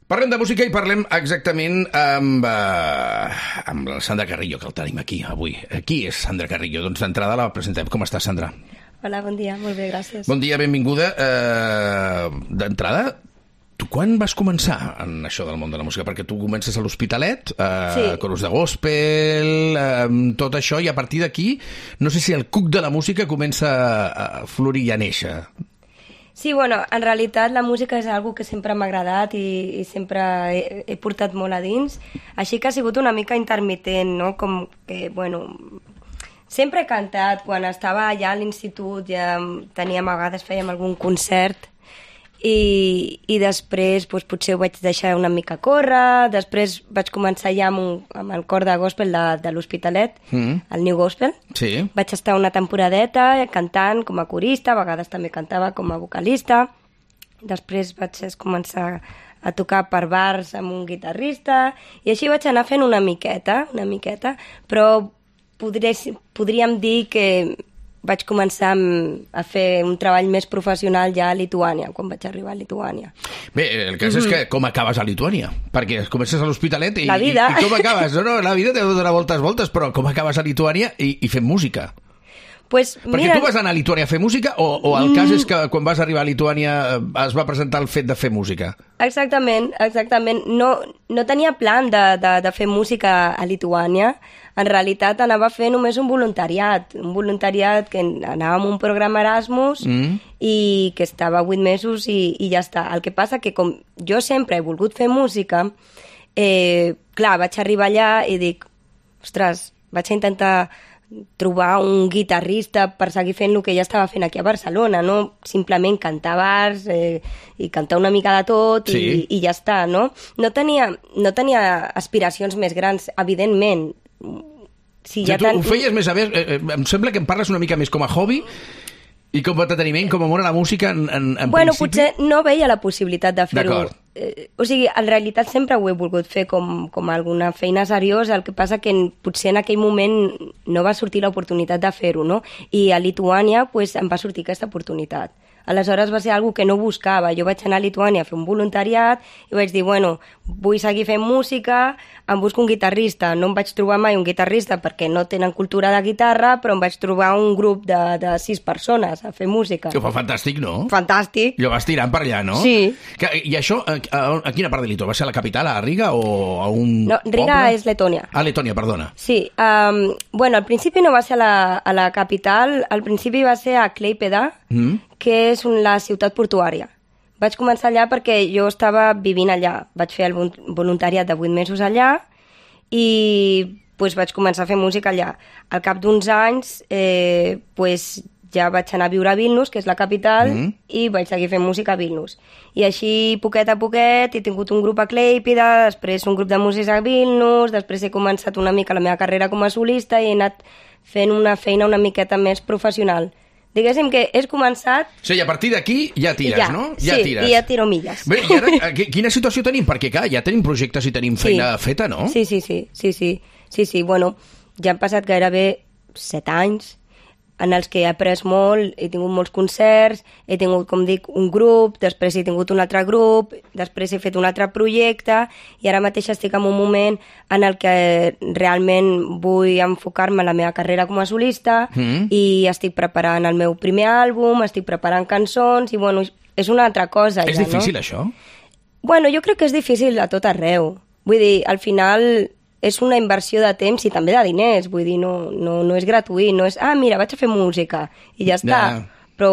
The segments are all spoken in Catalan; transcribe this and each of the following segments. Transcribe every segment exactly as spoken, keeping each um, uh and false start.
Parlem de música i parlem exactament amb, uh, amb la Sandra Carrillo, que el tenim aquí avui. Qui és Sandra Carrillo? Doncs d'entrada la presentem. Com estàs, Sandra? Hola, bon dia, molt bé, gràcies. Bon dia, benvinguda. Uh, d'entrada, tu quan vas començar en això del món de la música? Perquè tu comences a l'Hospitalet, uh, sí. coros de gospel, uh, tot això, i a partir d'aquí, no sé si el cuc de la música comença a florir i a néixer. Sí, bueno, en realitat la música és algo que sempre m'ha agradat i, i sempre he, he portat molt a dins, així que ha sigut una mica intermitent, no? Com que, bueno, sempre he cantat, quan estava allà a l'institut ja teníem, a vegades fèiem algun concert i, i després doncs, potser ho vaig deixar una mica córrer, després vaig començar ja amb, un, amb el cor de gospel de, de l'Hospitalet, mm. el New Gospel. Sí. Vaig estar una temporadeta cantant com a corista, a vegades també cantava com a vocalista. Després vaig començar a tocar per bars amb un guitarrista i així vaig anar fent una miqueta, una miqueta, però podré, podríem dir que vaig començar a fer un treball més professional ja a Lituània, quan vaig arribar a Lituània. Bé, el cas mm-hmm. és que com acabes a Lituània? Perquè comences a l'Hospitalet i, la vida. i, i com acabes? No, no, la vida t'ha de donar voltes, voltes, però com acabes a Lituània i, i fent música? Pues, Perquè mira... tu vas anar a Lituània a fer música o, o el cas és que quan vas arribar a Lituània es va presentar el fet de fer música? Exactament, exactament. No, no tenia plan de, de, de fer música a Lituània. En realitat anava a fer només un voluntariat, un voluntariat que anava amb un programa Erasmus mm. i que estava vuit mesos i, i ja està. El que passa que com jo sempre he volgut fer música, eh, clar, vaig arribar allà i dic, ostres, vaig intentar trobar un guitarrista per seguir fent el que ja estava fent aquí a Barcelona, no simplement cantar bars eh, i cantar una mica de tot sí. i, i ja està, no? No tenia, no tenia aspiracions més grans, evidentment. Si ja tu tan... ho feies més a més, eh, em sembla que em parles una mica més com a hobby i com a entreteniment, com a amor a la música en, en, en bueno, principi. Potser no veia la possibilitat de fer-ho. Eh, o sigui, en realitat sempre ho he volgut fer com, com alguna feina seriosa, el que passa que en, potser en aquell moment no va sortir l'oportunitat de fer-ho, no? I a Lituània pues, em va sortir aquesta oportunitat. Aleshores va ser algo que no buscava. Jo vaig anar a Lituània a fer un voluntariat i vaig dir, bueno, vull seguir fent música, em busco un guitarrista. No em vaig trobar mai un guitarrista perquè no tenen cultura de guitarra, però em vaig trobar un grup de, de sis persones a fer música. Que ho fa fantàstic, no? Fantàstic. I ho vas tirant per allà, no? Sí. Que, I això, a, a, a quina part de Lituània? Va ser a la capital, a Riga, o a un No, Riga poble? és Letònia. Ah, Letònia, perdona. Sí. Um, bueno, al principi no va ser a la, a la capital, al principi va ser a Klaipėda, mm. que és la ciutat portuària. Vaig començar allà perquè jo estava vivint allà. Vaig fer el voluntariat de vuit mesos allà i pues, vaig començar a fer música allà. Al cap d'uns anys eh, pues, ja vaig anar a viure a Vilnius, que és la capital, mm. i vaig seguir fent música a Vilnius. I així, poquet a poquet, he tingut un grup a Klaipėda, després un grup de músics a Vilnius, després he començat una mica la meva carrera com a solista i he anat fent una feina una miqueta més professional. Diguéssim que és començat... O sigui, a partir d'aquí ja tires, ja, no? Ja sí, tires. i ja tiro milles. Bé, i ara, quina situació tenim? Perquè, clar, ja tenim projectes i tenim feina sí. feta, no? Sí, sí, sí, sí, sí, sí, sí. Bueno, ja han passat gairebé set anys en els que he après molt, he tingut molts concerts, he tingut, com dic, un grup, després he tingut un altre grup, després he fet un altre projecte i ara mateix estic en un moment en el que realment vull enfocar-me en la meva carrera com a solista mm. i estic preparant el meu primer àlbum, estic preparant cançons i, bueno, és una altra cosa. És ja, difícil, no? això? Bueno, jo crec que és difícil a tot arreu. Vull dir, al final... és una inversió de temps i també de diners, vull dir, no, no, no és gratuït, no és, ah, mira, vaig a fer música, i ja està. Yeah. Però,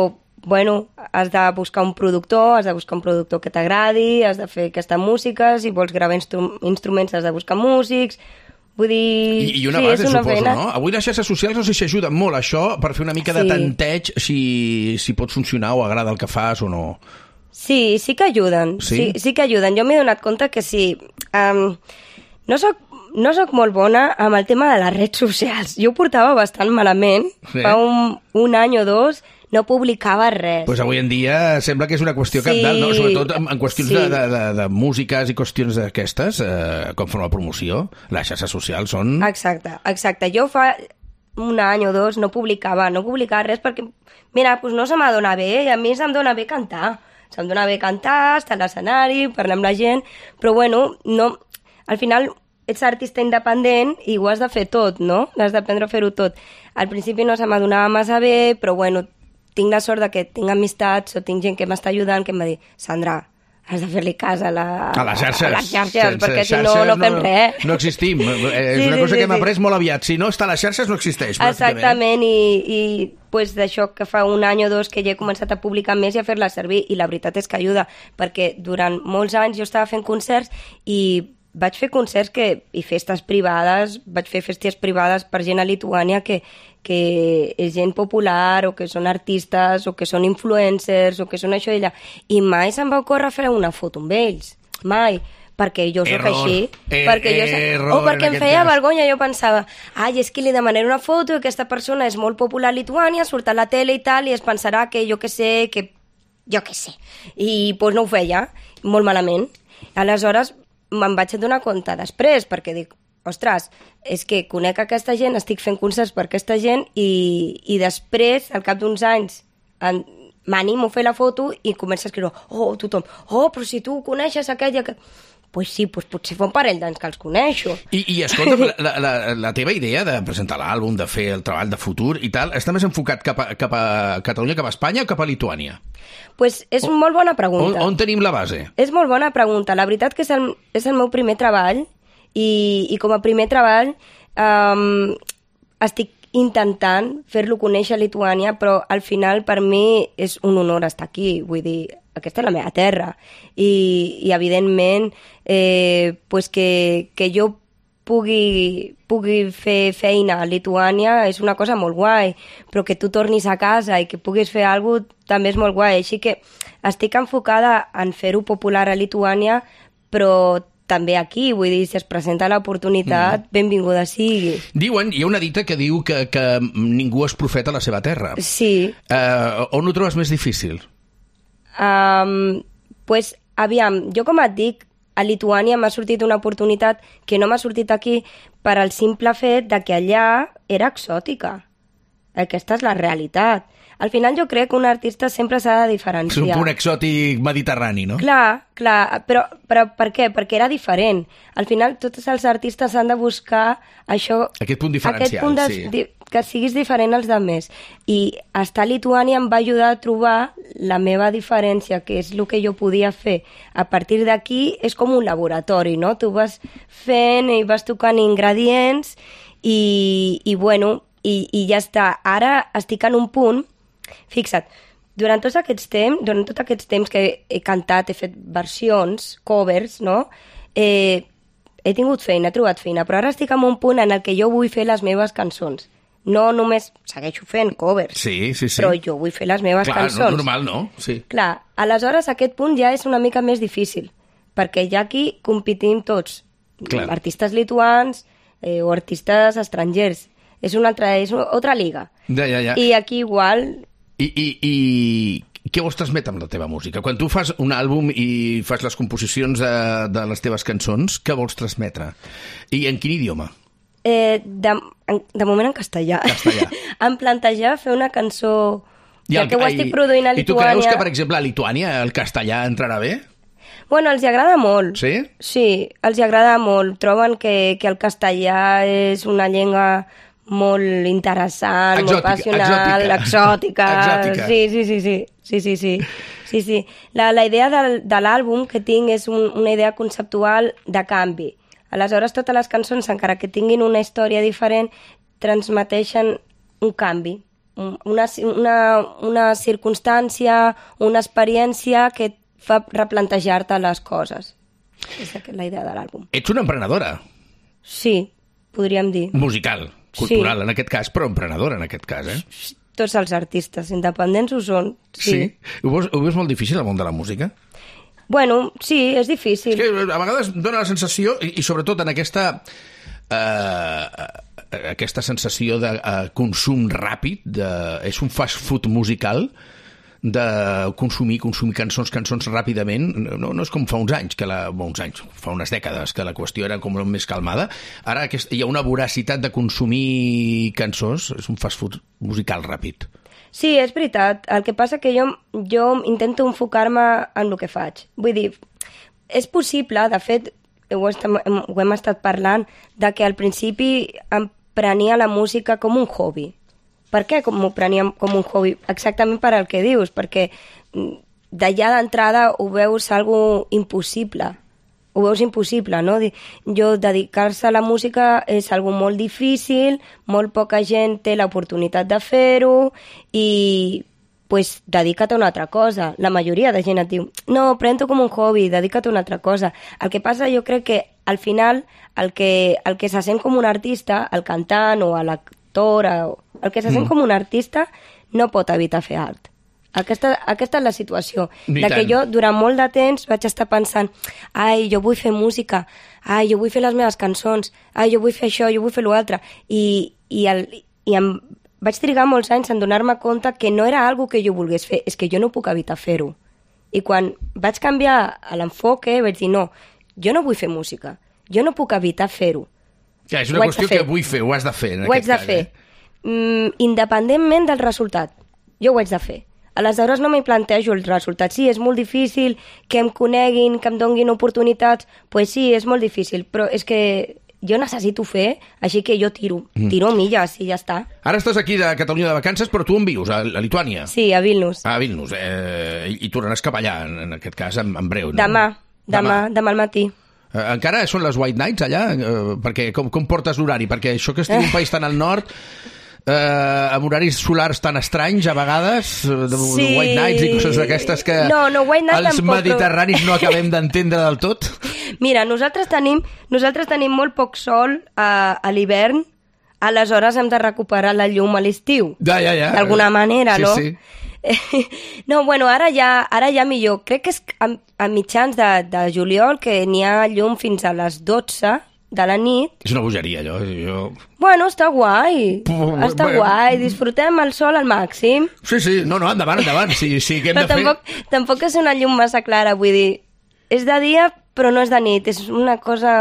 bueno, has de buscar un productor, has de buscar un productor que t'agradi, has de fer aquesta música, si vols gravar instru instruments has de buscar músics, vull dir... I, i una sí, base, una suposo, feina. no? Avui les xarxes socials no sé si ajuden molt això per fer una mica sí. de tanteig si, si pot funcionar o agrada el que fas o no. Sí, sí que ajuden, sí, sí, sí que ajuden. Jo m'he donat compte que sí... Um, no soc No sóc molt bona amb el tema de les redes socials. Jo ho portava bastant malament. Sí. Fa un, un any o dos no publicava res. Pues avui en dia sembla que és una qüestió sí. cabdal, no? Sobretot en, en qüestions sí. de, de, de, de músiques i qüestions d'aquestes, eh, com forma promoció, les xarxes socials són... Exacte, exacte. Jo fa un any o dos no publicava, no publicava res perquè, mira, pues no se m'adona bé i a mi se'm dona bé cantar. se'm dona bé cantar, estar a l'escenari, parlar amb la gent, però bueno, no, al final ets artista independent i ho has de fer tot, no? Has d'aprendre a fer-ho tot. Al principi no se m'adonava massa bé, però bueno, tinc la sort de que tinc amistats o tinc gent que m'està ajudant que em va dir, Sandra, has de fer-li cas a, la, a les xarxes, a les xarxes sense perquè si xarxes no, no fem no, res. No existim. És sí, una sí, cosa sí, que hem sí. après molt aviat. Si no està a les xarxes, no existeix. Exactament, i, i pues, d'això que fa un any o dos que ja he començat a publicar més i a fer-la servir, i la veritat és que ajuda, perquè durant molts anys jo estava fent concerts i vaig fer concerts que, i festes privades, vaig fer festes privades per gent a Lituània que, que és gent popular o que són artistes o que són influencers o que són això i allà, i mai se'm va ocórrer fer una foto amb ells, mai, perquè jo soc error. així, Er, perquè jo soc... error, o perquè em feia cas. vergonya, jo pensava, ai, és que li demanaré una foto i aquesta persona és molt popular a Lituània, surt a la tele i tal, i es pensarà que jo que sé, que jo que sé, i doncs pues, no ho feia, molt malament. Aleshores me'n vaig donar compte després, perquè dic, ostres, és que conec aquesta gent, estic fent concerts per aquesta gent i, i després, al cap d'uns anys, en, m'animo a fer la foto i comença a escriure, oh, tothom, oh, però si tu coneixes aquell i aquell... Pues sí, pues potser fa un parell d'anys que els coneixo. I, i escolta, la, la, la teva idea de presentar l'àlbum, de fer el treball de futur i tal, està més enfocat cap a, cap a Catalunya, cap a Espanya o cap a Lituània? Pues és una molt bona pregunta. On, on tenim la base? És molt bona pregunta. La veritat que és el, és el meu primer treball i, i com a primer treball um, estic intentant fer-lo conèixer a Lituània, però al final per mi és un honor estar aquí, vull dir, aquesta és la meva terra i, i evidentment eh, pues que, que jo pugui, pugui fer feina a Lituània és una cosa molt guai, però que tu tornis a casa i que puguis fer alguna cosa també és molt guai, així que estic enfocada en fer-ho popular a Lituània, però també aquí, vull dir, si es presenta l'oportunitat, mm. benvinguda sigui. Diuen, hi ha una dita que diu que, que ningú és profeta a la seva terra. Sí. Uh, on ho trobes més difícil? Um, pues, aviam, jo com et dic, a Lituània m'ha sortit una oportunitat que no m'ha sortit aquí per al simple fet de que allà era exòtica. Aquesta és la realitat. Al final jo crec que un artista sempre s'ha de diferenciar. És un punt exòtic mediterrani, no? Clar, clar, però, però per què? Perquè era diferent. Al final tots els artistes han de buscar això... Aquest punt diferencial, aquest punt de, sí. Di, que siguis diferent als altres. I estar a Lituània em va ajudar a trobar la meva diferència, que és el que jo podia fer. A partir d'aquí és com un laboratori, no? Tu vas fent i vas tocant ingredients i, i bueno, i, i ja està. Ara estic en un punt. Fixa't, durant tots aquests temps, durant tots aquests temps que he cantat, he fet versions, covers, no? Eh, he tingut feina, he trobat feina, però ara estic en un punt en el que jo vull fer les meves cançons. No només segueixo fent covers, sí, sí, sí. però jo vull fer les meves Clar, cançons. Clar, normal, no? Sí. Clar, aleshores aquest punt ja és una mica més difícil, perquè ja aquí competim tots, Clar. artistes lituans eh, o artistes estrangers. És una altra, és una altra liga. Ja, ja, ja. I aquí igual... I, i, i què vols transmetre amb la teva música? Quan tu fas un àlbum i fas les composicions de, de les teves cançons, què vols transmetre? I en quin idioma? Eh, de, en, de moment en castellà. Castellà. Em plantejar fer una cançó... I ja el, que ho estic produint a I tu Lituània... creus que, per exemple, a Lituània el castellà entrarà bé? Bueno, els hi agrada molt. Sí? Sí, els hi agrada molt. Troben que, que el castellà és una llengua... molt interessant, exòtica, molt passional, exòtica. exòtica. Sí, sí, sí, sí. sí, sí, sí. sí, sí. La, la idea del, de l'àlbum que tinc és un, una idea conceptual de canvi. Aleshores, totes les cançons, encara que tinguin una història diferent, transmeteixen un canvi, una, una, una circumstància, una experiència que et fa replantejar-te les coses. És la idea de l'àlbum. Ets una emprenedora. Sí, podríem dir. Musical. Cultural, sí. En aquest cas, però emprenedora, en aquest cas, eh? Tots els artistes independents ho són, sí. Sí? Ho veus, ho veus molt difícil, el món de la música? Bueno, sí, és difícil. És que a vegades dona la sensació, i, i sobretot en aquesta... Eh, aquesta sensació de uh, consum ràpid, de, és un fast food musical, de consumir, consumir cançons, cançons ràpidament. No, no és com fa uns anys, que la, bon, uns anys, fa unes dècades, que la qüestió era com més calmada. Ara aquest, hi ha una voracitat de consumir cançons, és un fast food musical ràpid. Sí, és veritat. El que passa que jo, jo intento enfocar-me en el que faig. Vull dir, és possible, de fet, ho, estem, ho hem estat parlant, de que al principi em prenia la música com un hobby. Per què m'ho prenia com un hobby? Exactament per al que dius, perquè d'allà d'entrada ho veus algo impossible. Ho veus impossible, no? Jo, dedicar-se a la música és algo molt difícil, molt poca gent té l'oportunitat de fer-ho i, pues, dedica't a una altra cosa. La majoria de gent et diu, no, pren-t'ho com un hobby, dedica't a una altra cosa. El que passa, jo crec que, al final, el que, el que se sent com un artista, el cantant o l'actor, el que se sent mm. com un artista, no pot evitar fer art. Aquesta, aquesta és la situació. Ni de tant. que jo, durant molt de temps, vaig estar pensant ai, jo vull fer música, ai, jo vull fer les meves cançons, ai, jo vull fer això, jo vull fer l'altre. I, i, el, i em vaig trigar molts anys en donar-me compte que no era algo que jo volgués fer, és que jo no puc evitar fer-ho. I quan vaig canviar l'enfoque, vaig dir, no, jo no vull fer música, jo no puc evitar fer-ho. Ja, és una qüestió que vull fer, ho has de fer. En ho haig de cas, fer, eh? mm, independentment del resultat. Jo ho haig de fer. Aleshores no m'hi plantejo el resultat. Sí, és molt difícil que em coneguin, que em donguin oportunitats. Doncs pues sí, és molt difícil, però és que jo necessito fer, així que jo tiro, tiro milles i ja està. Ara estàs aquí de Catalunya de vacances, però tu on vius? A, a Lituània? Sí, a Vilnius. A Vilnius. Eh, I tornaràs cap allà, en, en aquest cas, en, en breu, no? Demà, demà, demà al matí. Eh, encara són les White Nights allà? Eh, perquè com, com portes l'horari? Perquè això que estigui un país tan al nord... Eh, amb horaris solars tan estranys a vegades, de, sí. de White Nights i coses d'aquestes que no, no, White Night els tampoc, mediterranis no acabem d'entendre del tot. Mira, nosaltres tenim, nosaltres tenim molt poc sol a, a l'hivern, aleshores hem de recuperar la llum a l'estiu. Ja, ja, ja. D'alguna manera, sí, no? Sí. No, bueno, ara ja, ara ja millor. Crec que és a, a mitjans de, de juliol que n'hi ha llum fins a les dotze de la nit. És una bogeria, allò. Jo... Bueno, està guai. Puh, està bueno. guai. Disfrutem el sol al màxim. Sí, sí. No, no, endavant, endavant. Sí, sí, què hem però de tampoc, fer? tampoc és una llum massa clara, vull dir, és de dia però no és de nit, és una cosa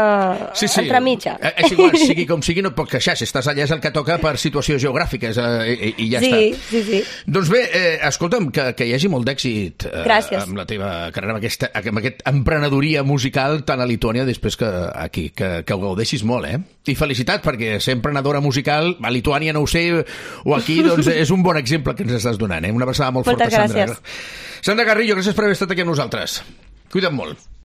sí, sí. entremitja. És igual, sigui com sigui, no et pots queixar. Si estàs allà és el que toca per situacions geogràfiques eh, i, i ja sí, està. Sí, sí. Doncs bé, eh, escolta'm, que, que hi hagi molt d'èxit eh, amb la teva carrera, amb, aquesta, amb aquest emprenedoria musical tant a Lituània després que aquí, que, que ho gaudeixis molt, eh? I felicitat, perquè ser emprenedora musical, a Lituània no ho sé, o aquí, doncs és un bon exemple que ens estàs donant, eh? Una abraçada molt Moltes forta, gràcies. Sandra. Sandra Garrillo, gràcies per haver estat aquí amb nosaltres. Cuida't molt.